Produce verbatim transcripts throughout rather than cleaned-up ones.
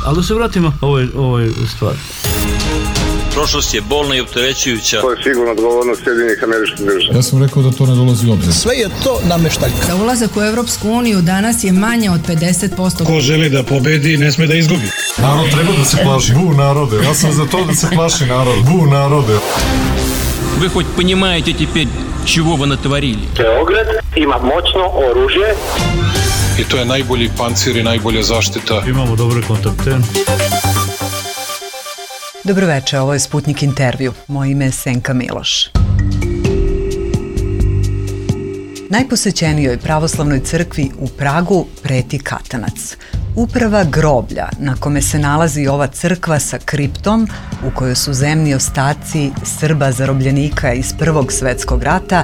Ali da se vratimo ovoj, ovoj stvari. Prošlost je bolna i opterećujuća. To je sigurno odgovornost Sjedinjenih Američkih Država. Ja sam rekao da to ne dolazi u obzir. Sve je to nameštaljka. Da ulazak u Evropsku uniju danas je manje od pedeset posto. Ko želi da pobedi, ne sme da izgubi. Narod treba da se plaši. Bu narode. Ja sam za to da se plaši narod. Bu narode. Вы хоть понимаете теперь, чего вы натворили? Beograd ima moćno oružje. I to je najbolji pancir i najbolja zaštita. Imamo dobre kontakte. Dobroveče, ovo je Sputnik intervju. Moje ime je Senka Miloš. Najposećenijoj pravoslavnoj crkvi u Pragu preti katanac. Uprava groblja na kome se nalazi ova crkva sa kriptom u kojoj su zemni ostaci Srba zarobljenika iz Prvog svetskog rata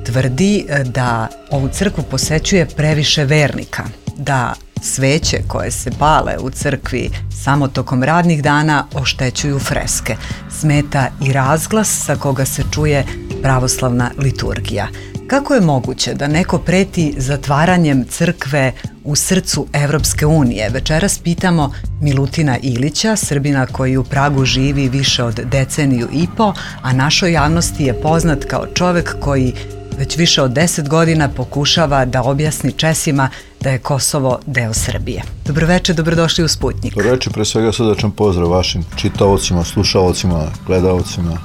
tvrdi da ovu crkvu posećuje previše vernika, da sveće koje se pale u crkvi samo tokom radnih dana oštećuju freske. Smeta i razglas sa koga se čuje pravoslavna liturgija. Kako je moguće da neko preti zatvaranjem crkve u srcu Evropske unije? Večeras pitamo Milutina Ilića, Srbina koji u Pragu živi više od deceniju i po, a našoj javnosti je poznat kao čovek koji već više od deset godina pokušava da objasni Česima da je Kosovo deo Srbije. Dobroveče, dobrodošli u Sputnik. Dobroveče, pre svega srdačan pozdrav vašim čitaocima, slušaocima, gledaocima.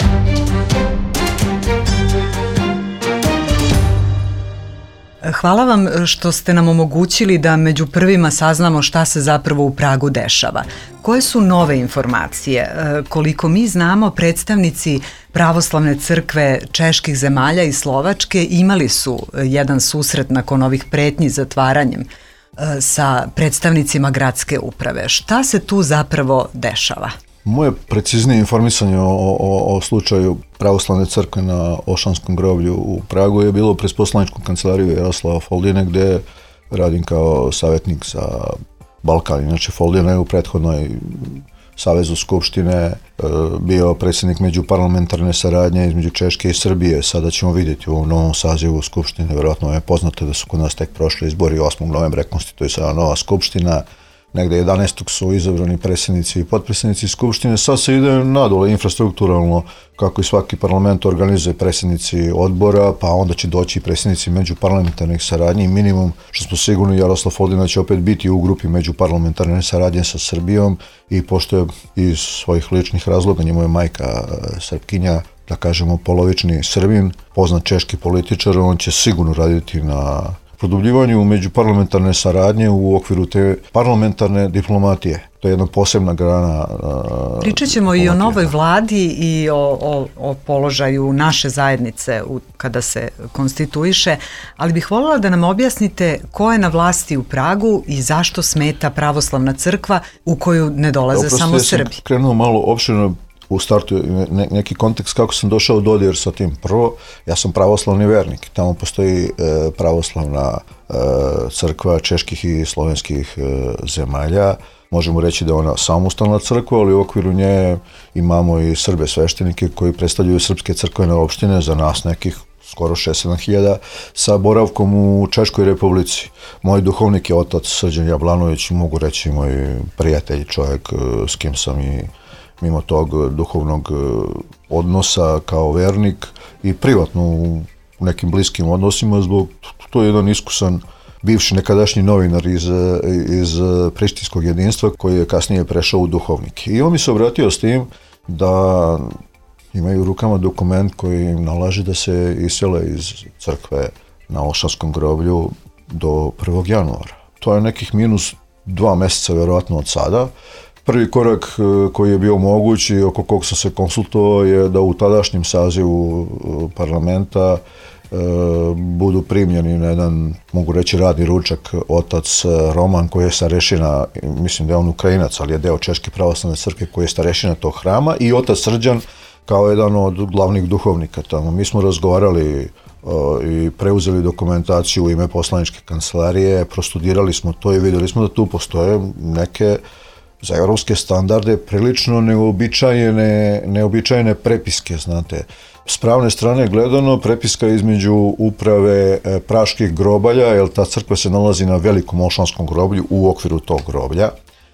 Hvala vam što ste nam omogućili da među prvima saznamo šta se zapravo u Pragu dešava. Koje su nove informacije? Koliko mi znamo, predstavnici pravoslavne crkve čeških zemalja i Slovačke imali su jedan susret nakon ovih pretnji zatvaranjem sa predstavnicima gradske uprave. Šta se tu zapravo dešava? Moje preciznije informisanje o, o, o slučaju pravoslavne crkve na Ošanskom groblju u Pragu je bilo pred poslaničkom kancelariju Jaroslava Foldine, gde radim kao savjetnik za Balkan. Inače, Foldina je u prethodnoj Savezu Skupštine bio predsjednik međuparlamentarne saradnje između Češke i Srbije. Sada ćemo vidjeti u ovom novom sazivu Skupštine. Verovatno je poznato da su kod nas tek prošli izbori, osmog novembra konstituje se nova Skupština. Negde jedanaestog su izabrani predsjednici i potpredsjednici Skupštine. Sad se ide nadole infrastrukturalno, kako i svaki parlament organizuje predsjednici odbora, pa onda će doći i predsjednici međuparlamentarnih saradnji. Minimum, što smo sigurni, Jaroslav Foldina će opet biti u grupi međuparlamentarne saradnje sa Srbijom i pošto je iz svojih ličnih razloga, njemu je majka Srpkinja, da kažemo polovični Srbin, poznat češki političar, on će sigurno raditi na produbljivanju međuparlamentarne saradnje u okviru te parlamentarne diplomatije. To je jedna posebna grana. Pričat ćemo i o novoj vladi i o, o, o položaju naše zajednice u, kada se konstituiše, ali bih voljela da nam objasnite ko je na vlasti u Pragu i zašto smeta pravoslavna crkva u koju ne dolaze Oprosti, samo ja Srbi. Sam krenuo malo opširno u startu ne, neki kontekst kako sam došao u dodir sa tim. Prvo, ja sam pravoslavni vernik. Tamo postoji e, pravoslavna e, crkva čeških i slovenskih e, zemalja. Možemo reći da je ona samostalna crkva, ali u okviru nje imamo i Srbe sveštenike koji predstavljaju srpske crkvene opštine, za nas nekih skoro šest sedam hiljada, sa boravkom u Češkoj Republici. Moj duhovnik je otac Srđan Jablanović, mogu reći moj prijatelj, čovjek s kim sam i mimo tog duhovnog odnosa kao vernik i privatno u nekim bliskim odnosima, zbog to je jedan iskusan bivši nekadašnji novinar iz, iz Prištinskog jedinstva koji je kasnije prešao u duhovnik. I on mi se obratio s tim da imaju u rukama dokument koji im nalaže da se isele iz crkve na Ošanskom groblju do prvog januara. To je nekih minus dva meseca verovatno od sada. Prvi korak koji je bio moguć i oko kog sam se konsultovao je da u tadašnjem sazivu parlamenta e, budu primljeni na jedan, mogu reći, radni ručak otac Roman koji je starešina, mislim da je on Ukrajinac, ali je deo Češke pravoslavne crkve koji je starešina tog hrama, i otac Srđan kao jedan od glavnih duhovnika tamo. Mi smo razgovarali o, i preuzeli dokumentaciju u ime poslaničke kancelarije, prostudirali smo to i vidjeli smo da tu postoje neke za evropske standarde prilično neobičajene, neobičajene prepiske, znate. S pravne strane gledano, prepiska između uprave e, praških grobalja, jer ta crkva se nalazi na velikom Ošanskom groblju u okviru tog groblja,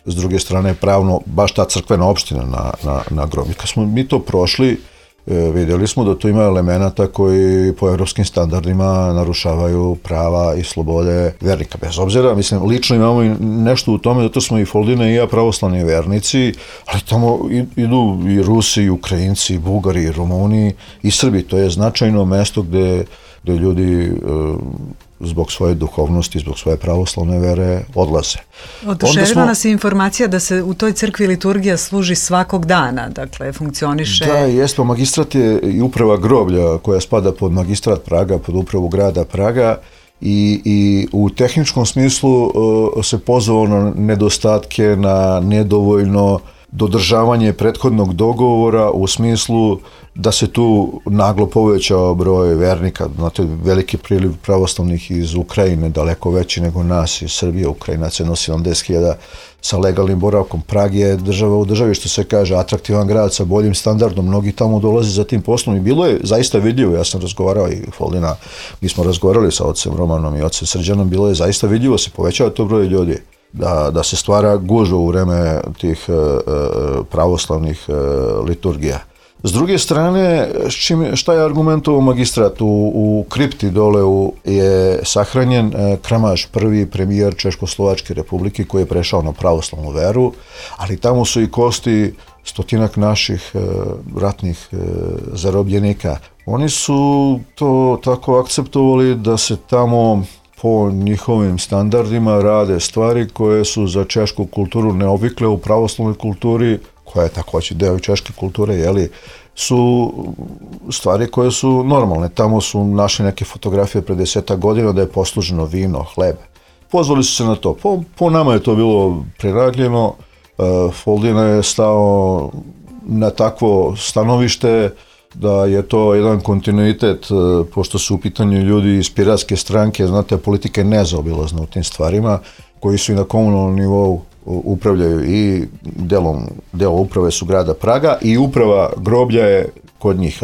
s druge strane pravno baš ta crkvena opština na, na, na groblju. Kad smo mi to prošli, vidjeli smo da tu ima elemenata koji po evropskim standardima narušavaju prava i slobode vernika. Bez obzira, mislim, lično imamo i nešto u tome, zato smo i Foldina i ja pravoslavni vernici, ali tamo idu i Rusi, i Ukrajinci, i Bugari, i Rumuni, i Srbi. To je značajno mesto gde, gde ljudi zbog svoje duhovnosti, zbog svoje pravoslavne vere odlaze. Oduševila smo... nas je informacija da se u toj crkvi liturgija služi svakog dana, dakle funkcioniše... Da, jesmo, magistrat je i uprava groblja koja spada pod magistrat Praga, pod upravu grada Praga i, i u tehničkom smislu uh, se pozvao na nedostatke, na nedovoljno dodržavanje prethodnog dogovora u smislu da se tu naglo povećao broj vernika, znate, veliki priliv pravoslavnih iz Ukrajine, daleko veći nego nas iz Srbije. Ukrajinac je nosi sedamdeset hiljada sa legalnim boravkom. Prag je država u državi, što se kaže, atraktivan grad sa boljim standardom, mnogi tamo dolaze za tim poslom i bilo je zaista vidljivo, ja sam razgovarao i Foldina, mi smo razgovarali sa ocem Romanom i ocem Srđanom, bilo je zaista vidljivo, se povećava to broj ljudi. Da, da se stvara gužva u vreme tih e, pravoslavnih e, liturgija. S druge strane, čim, šta je argumentovao magistrat? U, u kripti dole u, je sahranjen e, Kramaš, prvi premijer Češko-Slovačke republike koji je prešao na pravoslavnu veru, ali tamo su i kosti stotinak naših e, ratnih e, zarobljenika. Oni su to tako akceptovali da se tamo po njihovim standardima rade stvari koje su za češku kulturu neovikle u pravoslavnoj kulturi, koja je također deo češke kulture, jeli, su stvari koje su normalne. Tamo su našli neke fotografije pre desetak godina da je posluženo vino, hleb. Pozvali su se na to. Po, po nama je to bilo prenagljeno. Uh, Foldina je stao na takvo stanovište da je to jedan kontinuitet, pošto su u pitanju ljudi iz piratske stranke, znate, politika je nezaobilazna u tim stvarima, koji su i na komunalnom nivou upravljaju i delom, delo uprave su grada Praga i uprava groblja je kod njih.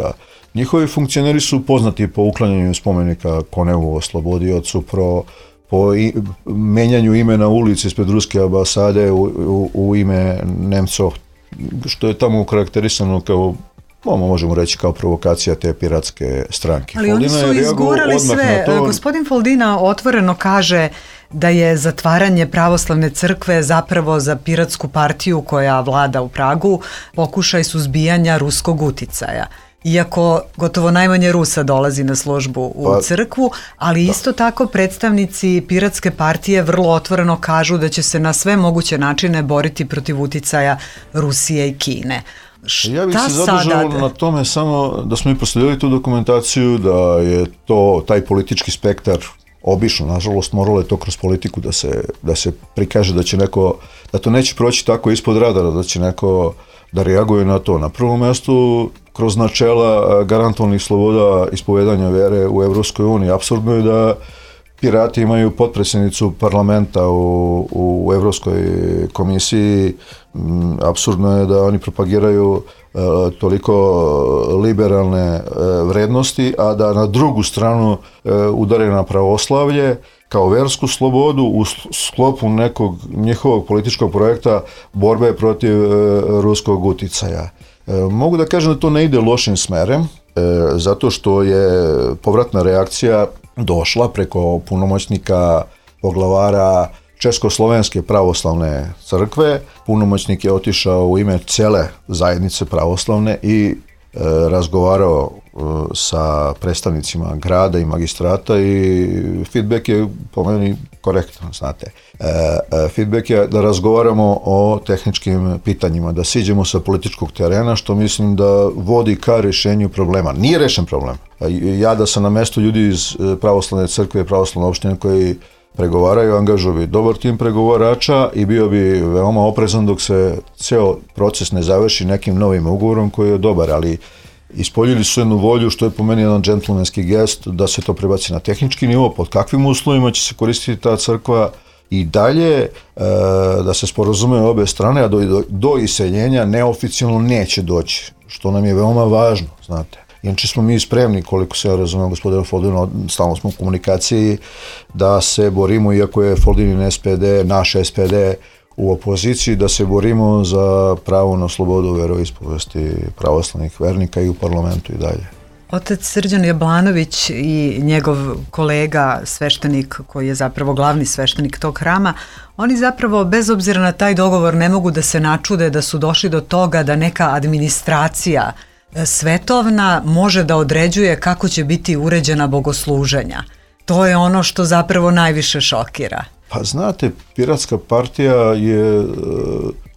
Njihovi funkcioneri su poznati po uklanjanju spomenika Konevu oslobodiocu, pro, po i, menjanju imena ulici ispred ruske ambasade u, u, u ime Nemcov, što je tamo karakterisano kao, možemo reći, kao provokacija te piratske stranke. Ali Foldina oni su izgurali sve. To... Gospodin Foldina otvoreno kaže da je zatvaranje pravoslavne crkve zapravo za piratsku partiju koja vlada u Pragu pokušaj suzbijanja ruskog uticaja. Iako gotovo najmanje Rusa dolazi na službu u pa, crkvu, ali isto da. Tako predstavnici piratske partije vrlo otvoreno kažu da će se na sve moguće načine boriti protiv uticaja Rusije i Kine. Šta ja bih se zadržao na tome samo da smo i prosledili tu dokumentaciju, da je to taj politički spektar obično, nažalost, moralo je to kroz politiku da se, da se prikaže da će neko, da to neće proći tako ispod radara, da će neko da reaguje na to. Na prvom mjestu, kroz načela garantovanih sloboda ispovedanja vere u Evropskoj uniji. Apsurdno je da pirati imaju potpredsjednicu parlamenta u, u Evropskoj komisiji. Apsurdno je da oni propagiraju e, toliko liberalne e, vrednosti, a da na drugu stranu e, udare na pravoslavlje kao versku slobodu u sklopu nekog njihovog političkog projekta borbe protiv e, ruskog uticaja. E, mogu da kažem da to ne ide lošim smerem, e, zato što je povratna reakcija došla preko punomoćnika poglavara Československe pravoslavne crkve. Punomoćnik je otišao u ime cele zajednice pravoslavne i e, razgovarao e, sa predstavnicima grada i magistrata i feedback je po meni korektan, znate. E, e, feedback je da razgovaramo o tehničkim pitanjima, da siđemo sa političkog terena, što mislim da vodi ka rješenju problema. Nije rešen problem. Ja da sam na mestu ljudi iz pravoslavne crkve i pravoslavne opštine koji pregovaraju, angažuju bi dobar tim pregovarača i bio bi veoma oprezan dok se ceo proces ne završi nekim novim ugovorom koji je dobar, ali ispoljili su jednu volju, što je po meni jedan džentlmenski gest, da se to prebaci na tehnički nivo, pod kakvim uslovima će se koristiti ta crkva i dalje, e, da se sporazume obe strane, a do, do, do iseljenja neoficijalno neće doći, što nam je veoma važno, znate. Inače smo mi spremni, koliko se ja razumijem, gospodina Foldina, stalno smo u komunikaciji, da se borimo, iako je Foldinin S P D, naš S P D, u opoziciji da se borimo za pravo na slobodu veroispovesti pravoslavnih vernika i u parlamentu i dalje. Otac Srđan Jablanović i njegov kolega, sveštenik koji je zapravo glavni sveštenik tog hrama, oni zapravo bez obzira na taj dogovor ne mogu da se načude da su došli do toga da neka administracija svetovna može da određuje kako će biti uređena bogosluženja. To je ono što zapravo najviše šokira. Pa znate, Piratska partija je e,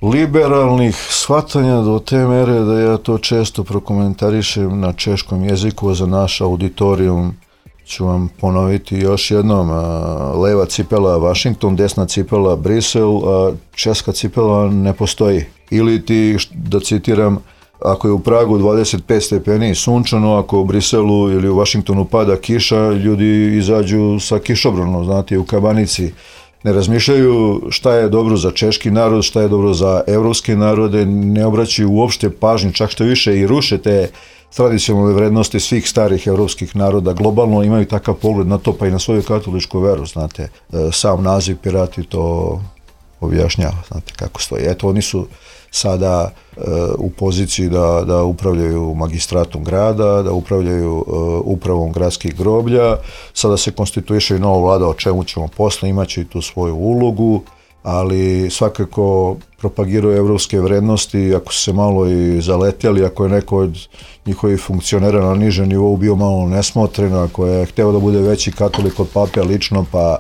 liberalnih shvatanja do te mere da ja to često prokomentarišem na češkom jeziku. Za naš auditorijum ću vam ponoviti još jednom. A, leva cipela Washington, desna cipela Brisel, a česka cipela ne postoji. Ili ti, da citiram, ako je u Pragu dvadeset pet stepeni sunčano, ako u Briselu ili u Washingtonu pada kiša, ljudi izađu sa kišobranom, znate, u kabanici. Ne razmišljaju šta je dobro za češki narod, šta je dobro za evropske narode, ne obraćaju uopšte pažnju, čak što više i ruše te tradicionalne vrednosti svih starih evropskih naroda. Globalno imaju takav pogled na to, pa i na svoju katoličku veru, znate. Sam naziv Pirati to objašnjava, znate kako stoji. Eto, oni su sada e, u poziciji da, da upravljaju magistratom grada, da upravljaju e, upravom gradskih groblja. Sada se konstituiše i nova vlada, o čemu ćemo posle, imaće i tu svoju ulogu, ali svakako propagiraju evropske vrednosti. Ako su se malo i zaletjali, ako je neko od njihovih funkcionera na nižem nivou bio malo nesmotren, ako je hteo da bude veći katolik od pape lično, pa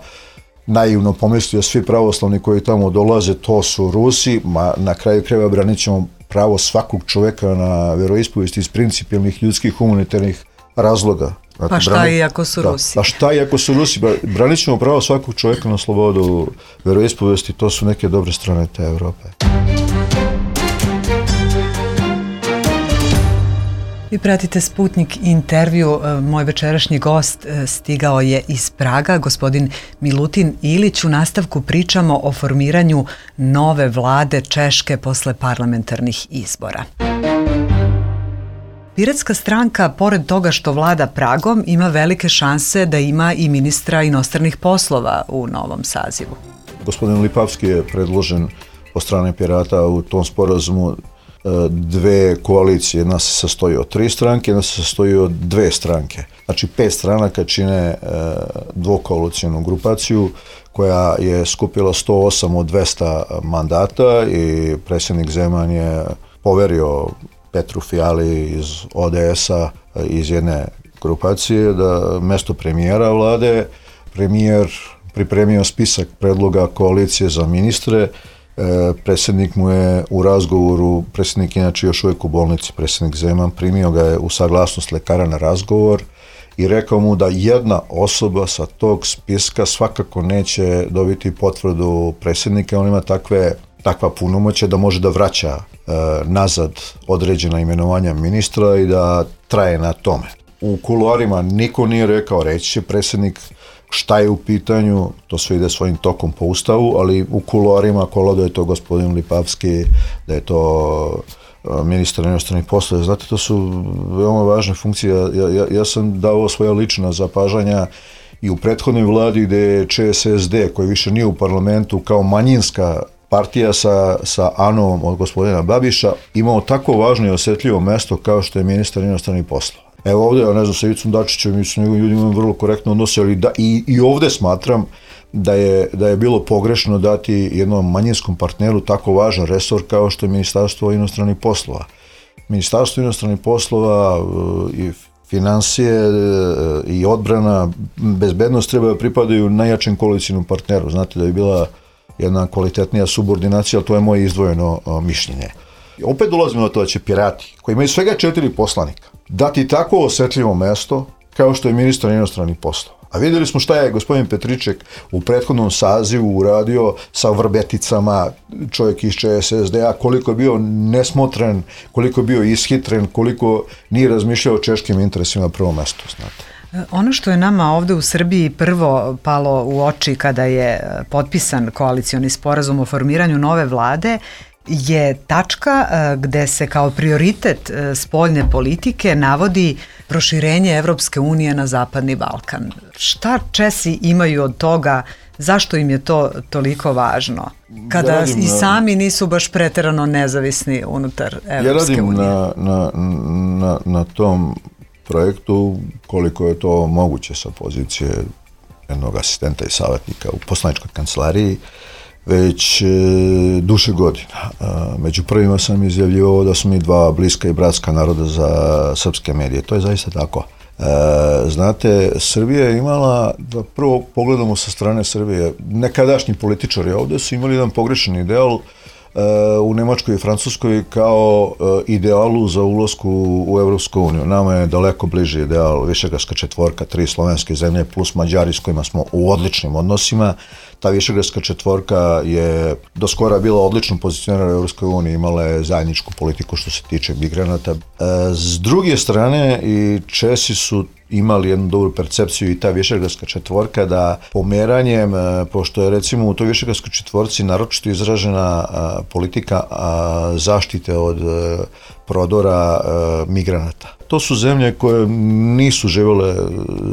naivno pomislio svi pravoslavni koji tamo dolaze, to su Rusi, ma na kraju krajeva branit ćemo pravo svakog čoveka na veroispovijest iz principijelnih ljudskih humanitarnih razloga. Znate, pa šta brani... i ako su da, Rusi? Pa šta i ako su Rusi? Branit ćemo pravo svakog čoveka na slobodu veroispovijesti, to su neke dobre strane te Evrope. Vi pratite Sputnik intervju. Moj večerašnji gost stigao je iz Praga, gospodin Milutin Ilić. U nastavku pričamo o formiranju nove vlade Češke posle parlamentarnih izbora. Piratska stranka, pored toga što vlada Pragom, ima velike šanse da ima i ministra inostranih poslova u novom sazivu. Gospodin Lipavski je predložen od strane Pirata u tom sporazumu dve koalicije. Jedna se sastoji od tri stranke, jedna se sastoji od dve stranke. Znači pet stranaka čine dvokoalicijnu grupaciju koja je skupila sto osam od dvesta mandata i predsjednik Zeman je poverio Petru Fiali iz O D S-a, iz jedne grupacije, da mesto premijera vlade. Premijer pripremio spisak predloga koalicije za ministre. E, predsjednik mu je u razgovoru, predsjednik inače još uvijek u bolnici, predsjednik Zeman, primio ga je u saglasnost lekara na razgovor i rekao mu da jedna osoba sa tog spiska svakako neće dobiti potvrdu predsjednika. On ima takve, takva punomoćja da može da vraća e, nazad određena imenovanja ministra i da traje na tome. U kuloarima niko nije rekao, reći će predsjednik šta je u pitanju, to sve ide svojim tokom po ustavu, ali u kuloarima kola da je to gospodin Lipavski, da je to ministar inostranih poslova. Znate, to su veoma važne funkcije. Ja, ja, ja sam dao svoja lična zapažanja i u prethodnoj vladi gde je Č S S D, koji više nije u parlamentu, kao manjinska partija sa, sa Anom od gospodina Babiša, imao tako važno i osjetljivo mesto kao što je ministar inostranih poslova. Evo ovdje, ja ne znam, sa Ivicom Dačićem i s njegovim ljudima imam vrlo korektno odnose, ali da, i, i ovdje smatram da je, da je bilo pogrešno dati jednom manjinskom partneru tako važan resor kao što je Ministarstvo inostranih poslova. Ministarstvo inostranih poslova i financije i odbrana, bezbednost treba da pripadaju najjačem koalicijnom partneru. Znate da je bila jedna kvalitetnija subordinacija, ali to je moje izdvojeno mišljenje. Opet dolazimo na to da će Pirati, koji imaju svega četiri poslanika, dati tako osjetljivo mesto kao što je ministar inostranih poslova. A vidjeli smo šta je gospodin Petriček u prethodnom sazivu uradio sa Vrbeticama, čovjek iz Č S S D-a, koliko je bio nesmotren, koliko je bio ishitren, koliko nije razmišljao o češkim interesima na prvom mestu, znate. Ono što je nama ovde u Srbiji prvo palo u oči kada je potpisan koalicioni sporazum o formiranju nove vlade je tačka gde se kao prioritet spoljne politike navodi proširenje Evropske unije na Zapadni Balkan. Šta Česi imaju od toga? Zašto im je to toliko važno? Kada ja i sami nisu baš preterano nezavisni unutar Evropske unije. Ja radim na, na, na, na tom projektu koliko je to moguće sa pozicije jednog asistenta i savjetnika u poslaničkoj kancelariji već e, duše godina. E, među prvima sam izjavljivao da su mi dva bliska i bratska naroda za srpske medije. To je zaista tako. E, znate, Srbija je imala, da prvo pogledamo sa strane Srbije, nekadašnji političari ovde su imali jedan pogrešan ideal u Nemačkoj i Francuskoj kao idealu za ulasku u Evropsku uniju. Nama je daleko bliži ideal Višegradska četvorka, tri slovenske zemlje plus Mađari s kojima smo u odličnim odnosima. Ta Višegradska četvorka je do skora bila odlično pozicionirana u Evropskoj uniji, imala je zajedničku politiku što se tiče migranata. S druge strane, i Česi su imali jednu dobru percepciju i ta Višegradska četvorka da pomeranjem, pošto je recimo u toj Višegradskoj četvorci naročito izražena politika zaštite od prodora migranata. To su zemlje koje nisu živjele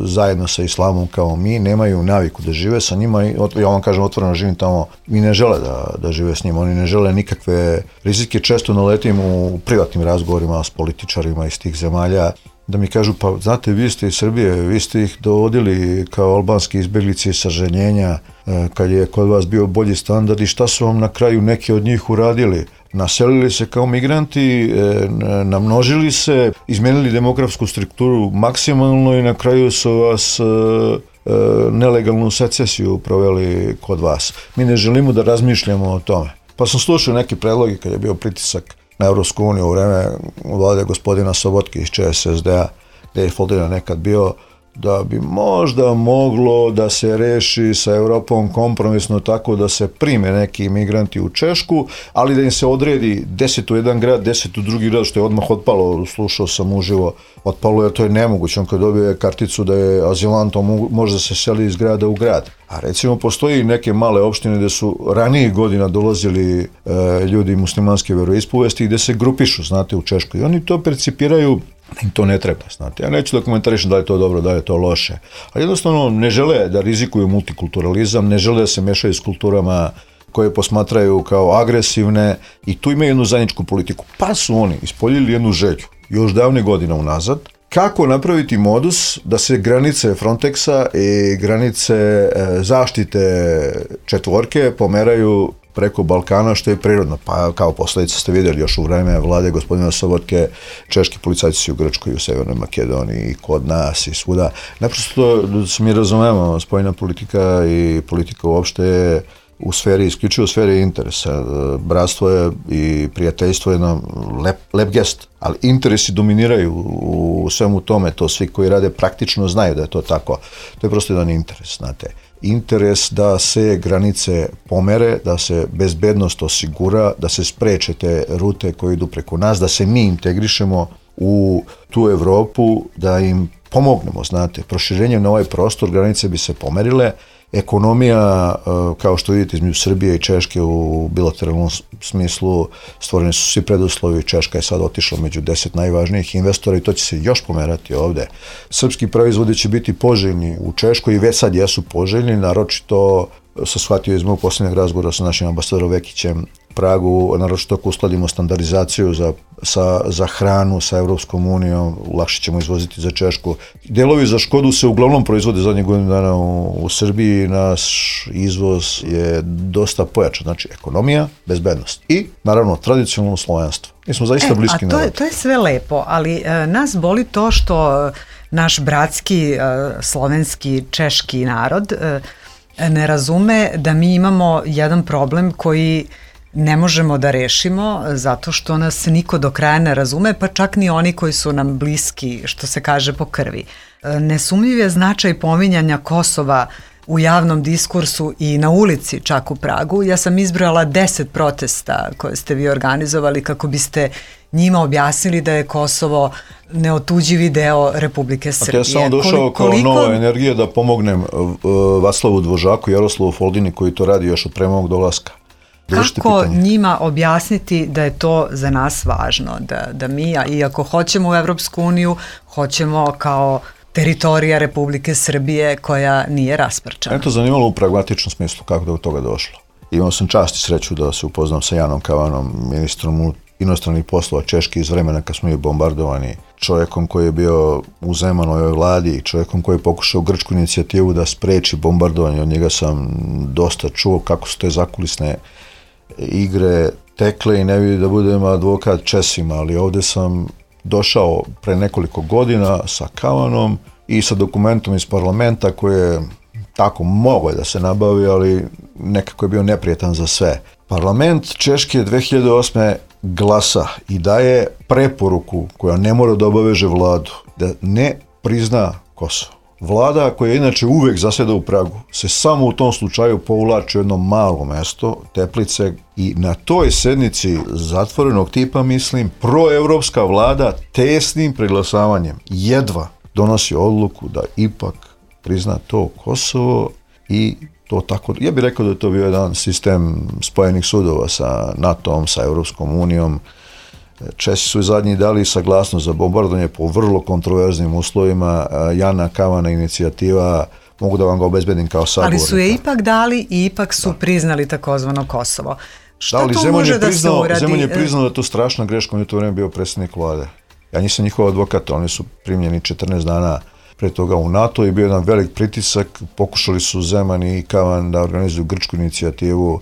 zajedno sa islamom kao mi, nemaju naviku da žive sa njima i ja vam kažem otvoreno živim tamo i ne žele da, da žive s njima, oni ne žele nikakve rizike, često naletim u privatnim razgovorima s političarima iz tih zemalja da mi kažu, pa znate, vi ste iz Srbije, vi ste ih dovodili kao albanski izbjeglice sa ženjenja kad je kod vas bio bolji standard i šta su vam na kraju neki od njih uradili? Naselili se kao migranti, namnožili se, izmenili demografsku strukturu maksimalno i na kraju su vas nelegalnu secesiju proveli kod vas. Mi ne želimo da razmišljamo o tome. Pa sam slušao neke predloge kad je bio pritisak na Evropsku uniju u vreme vlade gospodina Sobotke iz Č S S D-a, gde je Foldina nekad bio, da bi možda moglo da se reši sa Evropom kompromisno tako da se prime neki imigranti u Češku, ali da im se odredi deset u jedan grad, deset u drugi grad, što je odmah otpalo, slušao sam uživo, otpalo jer to je nemoguće, on kad dobije karticu da je azilant, on može da se seli iz grada u grad. A recimo postoji neke male opštine gde su ranijih godina dolazili e, ljudi muslimanske veroispovesti i gde se grupišu, znate, u Češkoj. I oni to percipiraju da im to ne treba, znate. Ja neću da komentarišem da je to dobro, da je to loše. Ali jednostavno ne žele da rizikuju multikulturalizam, ne žele da se mešaju s kulturama koje posmatraju kao agresivne i tu imaju jednu zajedničku politiku. Pa su oni ispoljili jednu želju, još davne godina unazad, kako napraviti modus da se granice Frontexa i granice zaštite četvorke pomeraju preko Balkana, što je prirodno. Pa kao posljedica ste vidjeli još u vreme vlade gospodina Sobotke, češki policajci su u Grčkoj, u Severnoj Makedoniji, i kod nas i svuda. Naprosto da se mi razumemo, spoljna politika i politika uopšte je u sferi, isključivo u sferi interesa. Bratstvo je i prijateljstvo je jedan lep, lep gest, ali interesi dominiraju u svemu tome, to svi koji rade praktično znaju da je to tako. To je prosto jedan interes, znate. Interes da se granice pomere, da se bezbednost osigura, da se spreče te rute koje idu preko nas, da se mi integrišemo u tu Evropu, da im pomognemo, znate. Proširenjem na ovaj prostor granice bi se pomerile. Ekonomija, kao što vidite, između Srbije i Češke u bilateralnom smislu stvoreni su svi preduslovi. Češka je sad otišla među deset najvažnijih investora i to će se još pomerati ovde. Srpski proizvodi će biti poželjni u Češkoj i već sad jesu poželjni, naročito sam shvatio iz mog posljednjeg razgovora sa našim ambasadorom Vekićem Pragu, naročito ako uskladimo standardizaciju za, sa, za hranu sa Evropskom unijom, lakše ćemo izvoziti za Češku. Delovi za Škodu se uglavnom proizvode zadnjih godinu dana u, u Srbiji, naš izvoz je dosta pojačan, znači ekonomija, bezbednost i naravno tradicionalno slovenstvo. Mi smo zaista e, bliski narod. A to je, to je sve lepo, ali e, nas boli to što naš bratski e, slovenski češki narod e, ne razume da mi imamo jedan problem koji ne možemo da rešimo zato što nas niko do kraja ne razume, pa čak ni oni koji su nam bliski, što se kaže, po krvi. Nesumljiv je značaj pominjanja Kosova u javnom diskursu i na ulici čak u Pragu. Ja sam izbrojala deset protesta koje ste vi organizovali kako biste njima objasnili da je Kosovo neotuđivi deo Republike Srbije. Ja sam došao kao koliko... nova energija da pomognem Vaslavu Dvožaku i Jaroslavu Foldini koji to radi još od pre mog dolaska. Kako njima objasniti da je to za nas važno, da, da mi, iako hoćemo u Evropsku uniju, hoćemo kao teritorija Republike Srbije koja nije rasprčana? Eto, zanimalo u pragmatičnom smislu kako da je od toga došlo. Imao sam čast i sreću da se upoznam sa Janom Kavanom, ministrom inostranih poslova Češke iz vremena kad smo bili bombardovani, čovjekom koji je bio u Zemanovoj vladi, čovjekom koji je pokušao grčku inicijativu da spreči bombardovanje. Od njega sam dosta čuo kako su te zakulisne igre tekle i ne vidi da budem advokat Česima, ali ovdje sam došao pre nekoliko godina sa Kavanom i sa dokumentom iz parlamenta koji je tako mogao da se nabavi, ali nekako je bio neprijetan za sve. Parlament Češke dve hiljade osme glasa i daje preporuku koja ne mora da obaveže vladu da ne prizna Kosovo. Vlada koja inače uvek zaseda u Pragu se samo u tom slučaju povlači u jedno malo mesto, Teplice, i na toj sednici zatvorenog tipa, mislim, proevropska vlada tesnim preglasavanjem jedva donosi odluku da ipak prizna to Kosovo i to tako, ja bih rekao da je to bio jedan sistem spojenih sudova sa NATO-om, sa Europskom unijom. Česi su zadnji dali saglasnost za bombardovanje po vrlo kontroverznim uslovima. Jana Kavana inicijativa, mogu da vam ga obezbedim kao sagovornika. Ali su je ipak dali i ipak su da. priznali takozvano Kosovo. Šta da, ali to Zeman može da priznao, se uradi? Zeman je priznao da je to strašna greška, on je to vreme bio predsjednik vlade. Ja nisam njihov advokat, oni su primljeni četrnaest dana pre toga u NATO i bio jedan velik pritisak. Pokušali su Zeman i Kavan da organizuju grčku inicijativu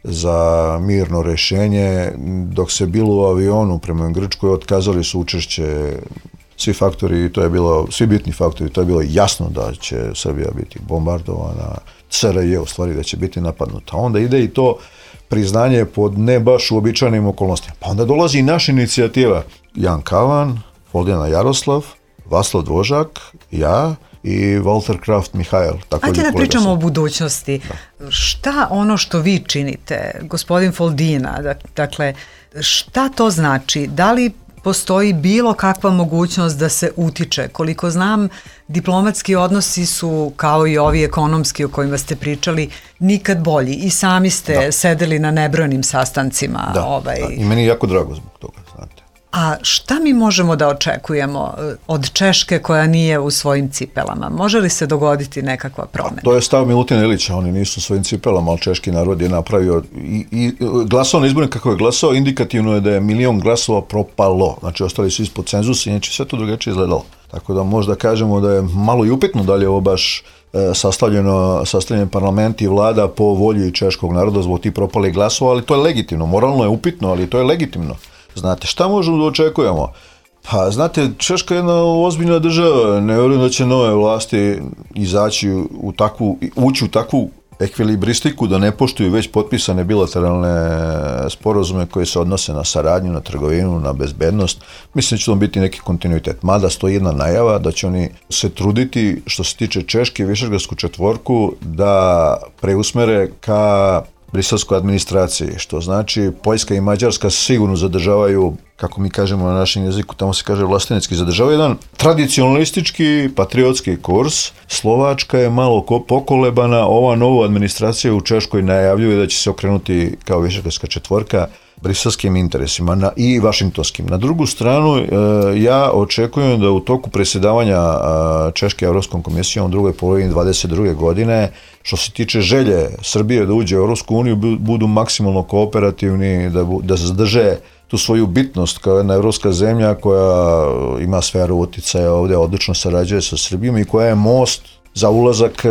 za mirno rešenje. Dok se bilo u avionu prema Grčkoj, otkazali su učešće svi faktori, to je bilo, svi bitni faktori, to je bilo jasno da će Srbija biti bombardovana, C R J u stvari da će biti napadnuta. Onda ide i to priznanje pod ne baš uobičajenim okolnostima. Pa onda dolazi i naša inicijativa. Jan Kavan, Foldijana Jaroslav, Vaslav Dvožak, ja i Walter Kraft Mihajl. Ajde da pričamo sam. o budućnosti. Da. Šta ono što vi činite, gospodin Foldina, dakle, šta to znači? Da li postoji bilo kakva mogućnost da se utiče? Koliko znam, diplomatski odnosi su, kao i ovi ekonomski o kojima ste pričali, nikad bolji. I sami ste da. sedeli na nebrojenim sastancima. Da, ovaj... da. I meni je jako drago zbog toga, znate. A šta mi možemo da očekujemo od Češke koja nije u svojim cipelama? Može li se dogoditi nekakva promjena? To je stav Milutina Ilića, oni nisu u svojim cipelama, ali češki narod je napravio i, i glasao na izbornik kako je glasao, indikativno je da je milion glasova propalo, znači ostali su ispod cenzusa i neće sve to drugačije izgledalo. Tako da možda kažemo da je malo i upitno da li je ovo baš e, sastavljeno, sastavljen parlament i vlada po volji češkog naroda zbog tih propalih glasova, ali to je legitimno, moralno je upitno, ali to je legitimno. Znate, šta možemo da očekujemo? Pa, znate, Češka je jedna ozbiljna država, ne vjerujem da će nove vlasti izaći u takvu, ući u takvu ekvilibristiku da ne poštuju već potpisane bilateralne sporazume koje se odnose na saradnju, na trgovinu, na bezbednost. Mislim da će to biti neki kontinuitet. Mada stoji jedna najava da će oni se truditi, što se tiče Češke, Višegradsku četvorku, da preusmere ka briselskoj administraciji, što znači Poljska i Mađarska sigurno zadržavaju, kako mi kažemo na našem jeziku, tamo se kaže vlastenecki, zadržavaju jedan tradicionalistički, patriotski kurs. Slovačka je malo pokolebana, ova nova administracija u Češkoj najavljuje da će se okrenuti kao Višegradska četvorka briselskim interesima na, i vašingtonskim. Na drugu stranu, e, ja očekujem da u toku predsjedavanja e, Češke Evropskom komisijom u drugoj polovini dvadeset druge godine, što se tiče želje Srbije da uđe u Evropsku uniju, budu maksimalno kooperativni, da, da zadrže tu svoju bitnost kao jedna evropska zemlja koja ima sferu uticaja ovdje, odlično sarađuje sa Srbijom i koja je most za ulazak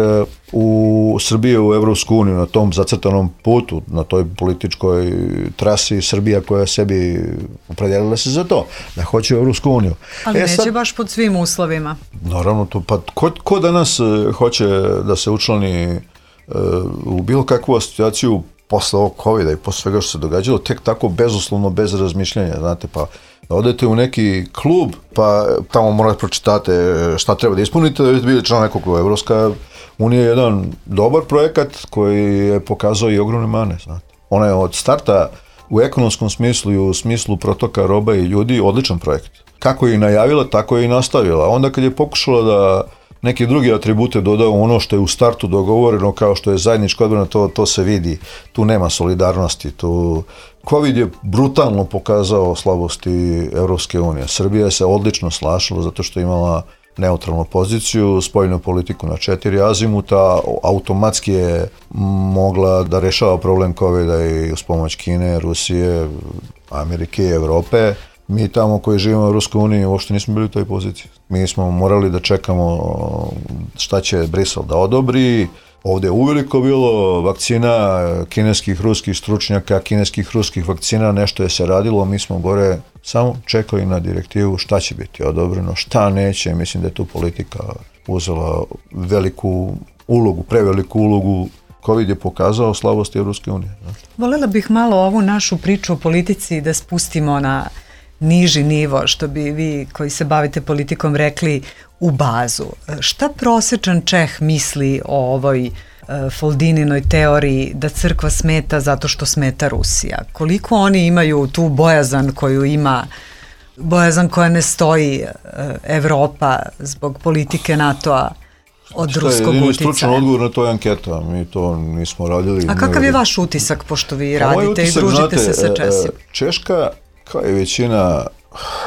u Srbiju u Evropsku uniju na tom zacrtanom putu, na toj političkoj trasi Srbija koja sebi opredijelila se za to, da hoće u Evropsku uniju. Ali e, neće sad, baš pod svim uslovima. Naravno, to, pa ko, ko danas hoće da se učlani uh, u bilo kakvu asocijaciju posle ovog covida i posle svega što se događalo, tek tako bezuslovno, bez razmišljanja, znate, pa da odete u neki klub, pa tamo morate pročitate šta treba da ispunite, da bili član nekog kluba. Evropska unija je jedan dobar projekat koji je pokazao i ogromne mane, znate. Ona je od starta u ekonomskom smislu i u smislu protoka roba i ljudi odličan projekt. Kako je i najavila, tako je i nastavila. Onda kad je pokušala da neke druge atribute dodao ono što je u startu dogovoreno, kao što je zajednička odbrana, to, to se vidi. Tu nema solidarnosti. Tu... Covid je brutalno pokazao slabosti Evropske unije. Srbija se odlično snašla zato što je imala neutralnu poziciju, spoljnu politiku na četiri azimuta, automatski je mogla da rešava problem Covida i uz pomoć Kine, Rusije, Amerike i Evrope. Mi tamo koji živimo u Evropskoj uniji uopšte nismo bili u toj poziciji. Mi smo morali da čekamo šta će Brisel da odobri. Ovdje je uveliko bilo vakcina kineskih, ruskih stručnjaka, kineskih, ruskih vakcina, nešto je se radilo, mi smo gore samo čekali na direktivu šta će biti odobreno, šta neće. Mislim da je tu politika uzela veliku ulogu, preveliku ulogu. Covid je pokazao slabosti Evropske unije. Volela bih malo ovu našu priču o politici da spustimo na niži nivo, što bi vi koji se bavite politikom rekli u bazu. Šta prosječan Čeh misli o ovoj e, Foldininoj teoriji da crkva smeta zato što smeta Rusija? Koliko oni imaju tu bojazan koju ima, bojazan koja ne stoji e, Evropa zbog politike NATO-a od ruskog uticaja? Šta je jedini stručan odgovor na toj anketa? Mi to nismo radili. A kakav je vaš utisak, pošto vi radite utisak, i družite znate, se sa Česima? Češka, kao i većina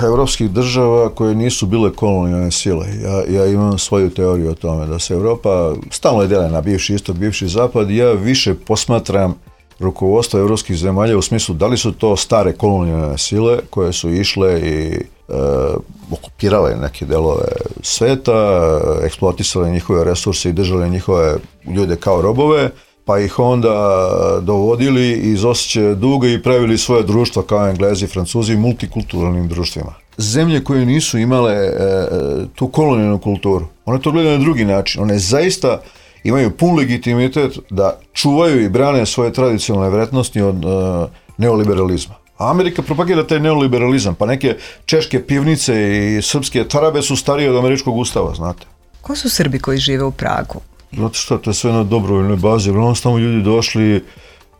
evropskih država koje nisu bile kolonijalne sile. Ja, ja imam svoju teoriju o tome da se Evropa stalno je dele na bivši istok, bivši zapad. Ja više posmatram rukovodstvo evropskih zemalja u smislu da li su to stare kolonijalne sile koje su išle i e, okupirale neke delove sveta, eksploatisale njihove resurse i držale njihove ljude kao robove, pa ih onda dovodili iz osjećaja duga i pravili svoje društva kao Englezi, Francuzi, multikulturalnim društvima. Zemlje koje nisu imale e, tu kolonijalnu kulturu, one to gledaju na drugi način. One zaista imaju pun legitimitet da čuvaju i brane svoje tradicionalne vrednosti od e, neoliberalizma. A Amerika propagira taj neoliberalizam, pa neke češke pivnice i srpske tarabe su starije od američkog ustava, znate. Ko su Srbi koji žive u Pragu? Znate što, to je sve na dobrovoljnoj bazi. Uglavnom su tamo ljudi došli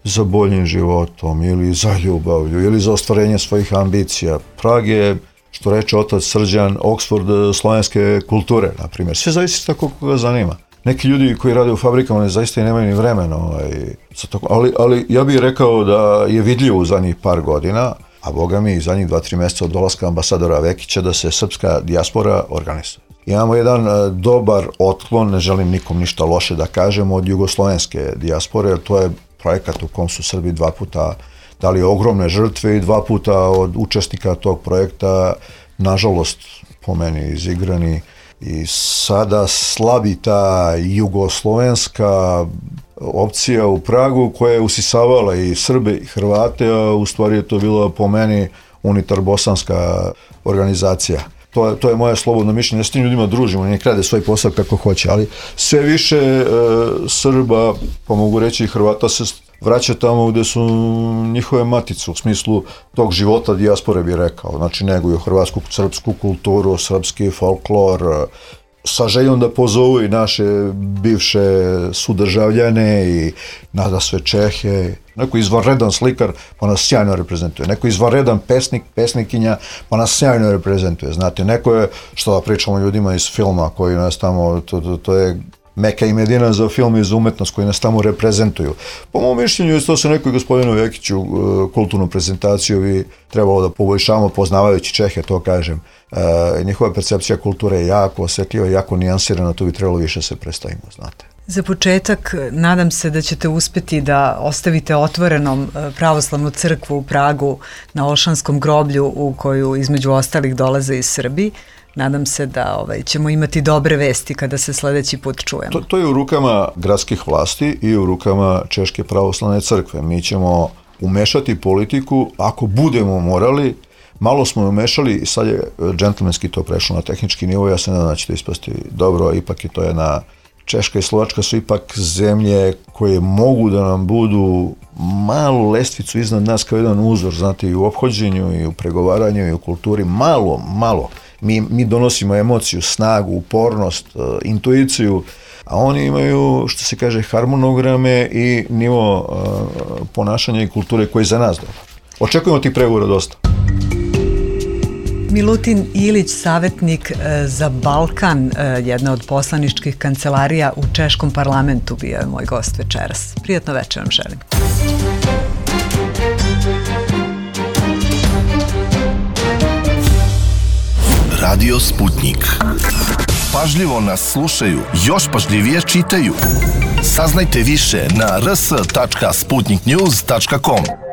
za boljim životom ili za ljubavlju ili za ostvarenje svojih ambicija. Prag je, što reče otac Srđan, Oxford slovenske kulture, na primjer. Sve zavisi tako koga zanima. Neki ljudi koji rade u fabrikama ne zaista i nemaju ni vremena. Ovaj, ali, ali ja bih rekao da je vidljivo u zadnjih par godina, a boga mi i zadnjih dva, tri mjeseca od dolaska ambasadora Vekića, da se srpska dijaspora organizuje. Imamo jedan dobar otklon, ne želim nikom ništa loše da kažem, od jugoslovenske dijaspore, jer to je projekat u kom su Srbi dva puta dali ogromne žrtve i dva puta od učesnika tog projekta, nažalost, po meni izigrani. I sada slabi ta jugoslovenska opcija u Pragu koja je usisavala i Srbe i Hrvate, a u stvari je to bila po meni unitar bosanska organizacija. To je, to je moje slobodno mišljenje, ja s tim ljudima družimo, nek rade svoj posao kako hoće, ali sve više e, Srba, pa mogu reći i Hrvata, se vraća tamo gde su njihove matice, u smislu tog života dijaspore bi rekao, znači neguju hrvatsku, srpsku kulturu, srpski folklor, sa željom da pozovu i naše bivše sudržavljane i nada sve Čehe. Neko izvanredan slikar pa nas sjajno reprezentuje, neko izvanredan pesnik, pesnikinja pa nas sjajno reprezentuje, znate, neko je, što da pričamo ljudima iz filma koji nas tamo, to, to, to je Meka i Medina za film i za umetnost koji nas tamo reprezentuju. Po mom mišljenju, to se nekoj gospodinu Vekiću kulturnu prezentaciju bi trebalo da poboljšavamo, poznavajući Čehe, to kažem. E, njihova percepcija kulture je jako osjetljiva, jako nijansirana, tu bi trebalo više se predstavimo, znate. Za početak, nadam se da ćete uspjeti da ostavite otvorenom pravoslavnu crkvu u Pragu na Olšanskom groblju u koju između ostalih dolaze iz Srbiji. Nadam se da ovaj, ćemo imati dobre vesti kada se sljedeći put čujemo. To, to je u rukama gradskih vlasti i u rukama Češke pravoslavne crkve. Mi ćemo umešati politiku, ako budemo morali. Malo smo umešali i sad je džentlmenski to prešlo na tehnički nivo. Ja se nadam da će to ispasti dobro, ipak je to jedna... Češka i Slovačka su ipak zemlje koje mogu da nam budu malu lestvicu iznad nas kao jedan uzor, znate, i u ophođenju, i u pregovaranju, i u kulturi, malo, malo. Mi, mi donosimo emociju, snagu, upornost, intuiciju, a oni imaju, što se kaže, harmonograme i nivo uh, ponašanja i kulture koji je za nas dobro. Očekujemo tih pregovora dosta. Milutin Ilić, savjetnik e, za Balkan, e, jedna od poslaničkih kancelarija u Češkom parlamentu, bio je moj gost večeras. Prijatno večer vam želim. Radio Sputnik. Pažljivo nas slušaju, još pažljivije čitaju. Saznajte više na r s tačka sputnik news tačka com.